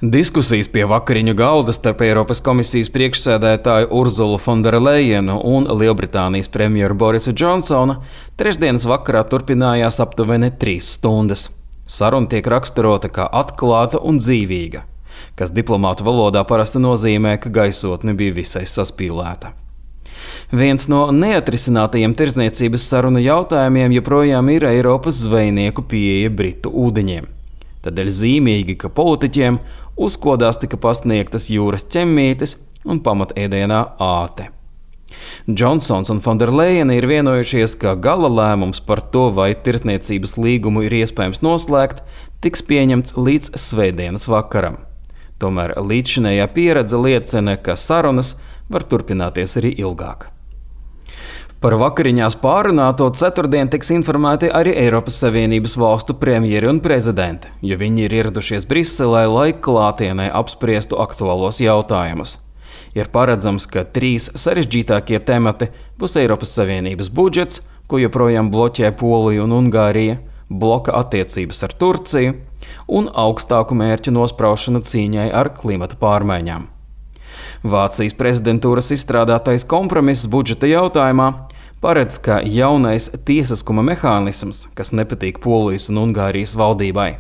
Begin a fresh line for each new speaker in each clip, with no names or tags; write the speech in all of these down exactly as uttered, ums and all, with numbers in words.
Diskusijas pie vakariņu galda starp Eiropas komisijas priekšsēdētāju Urzulu Fonderlejenu un Lielbritānijas premjeru Borisu Džonsonu trešdienas vakarā turpinājās aptuveni trīs stundas. Saruna tiek raksturota kā atklāta un dzīvīga, kas diplomātu valodā parasti nozīmē, ka gaisotne bija visai saspīlēta. Viens no neatrisinātajiem tirdzniecības sarunu jautājumiem joprojām ir Eiropas zvejnieku pieeja Britu ūdeņiem. Tādēļ zīmīgi, ka politiķiem uzkodās tika pasniegtas jūras ķemmītes un pamatēdienā āte. Džonsons un Fonderlejena ir vienojušies, ka gala lēmums par to, vai tirdzniecības līgumu ir iespējams noslēgt, tiks pieņemts līdz svētdienas vakaram. Tomēr līdzšinējā pieredze liecina, ka sarunas var turpināties arī ilgāk. Par vakariņās pārunāto ceturtdien tiks informēti arī Eiropas Savienības valstu premjeri un prezidenti, jo viņi ir ieradušies Briselē, lai klātienē apspriestu aktuālos jautājumus. Ir paredzams, ka trīs sarežģītākie temati būs Eiropas Savienības budžets, ko joprojām bloķē Polija un Ungārija, bloka attiecības ar Turciju un augstāku mērķu nospraušana cīņai ar klimata pārmaiņām. Vācijas prezidentūras izstrādātais kompromiss budžeta jautājumā paredz, ka jaunais tiesiskuma mehānisms, kas nepatīk Polijas un Ungārijas valdībai,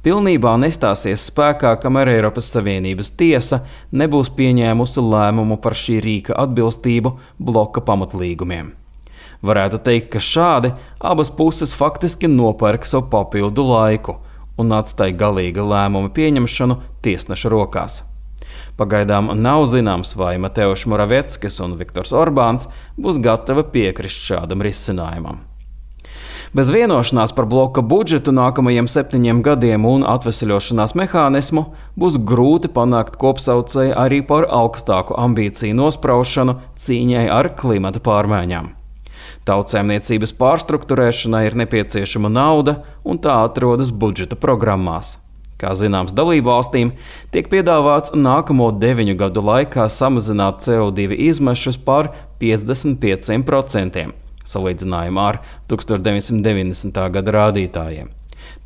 pilnībā nestāsies spēkā, kamēr Eiropas Savienības tiesa nebūs pieņēmusi lēmumu par šī rīka atbilstību bloka pamatlīgumiem. Varētu teikt, ka šādi abas puses faktiski nopērk savu papildu laiku un atstāja galīga lēmuma pieņemšanu tiesneša rokās. Pagaidām nav zināms, vai Mateusz Moraveckis un Viktors Orbāns būs gatavi piekrist šādam risinājumam. Bez vienošanās par bloka budžetu nākamajiem septiņiem gadiem un atveseļošanās mehānismu būs grūti panākt kopsaucēju arī par augstāku ambīciju nospraušanu cīņai ar klimata pārmaiņām. Tautsēmniecības pārstrukturēšanai ir nepieciešama nauda, un tā atrodas budžeta programmās. Kā zināms, dalībvalstīm tiek piedāvāts nākamo deviņu gadu laikā samazināt C O divi izmešus par piecdesmit pieciem procentiem, salīdzinājumā ar tukstovš deviņsimt deviņdesmitā gada rādītājiem.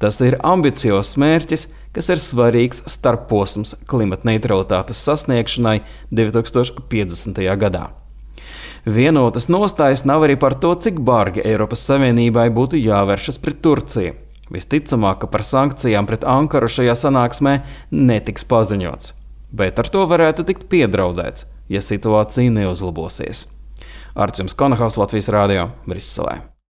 Tas ir ambiciozs mērķis, kas ir svarīgs starpposms klimatneitralitātes sasniegšanai divi tūkstoši piecdesmitajā gadā. Vienotas nostājas nav arī par to, cik bargi Eiropas Savienībai būtu jāvēršas pret Turciju. Visticamāk, ka par sankcijām pret Ankaru šajā sanāksmē netiks paziņots, bet ar to varētu tikt piedraudēts, ja situācija neuzlabosies. Arčuns Konahaus, Latvijas Rādio, Briselē.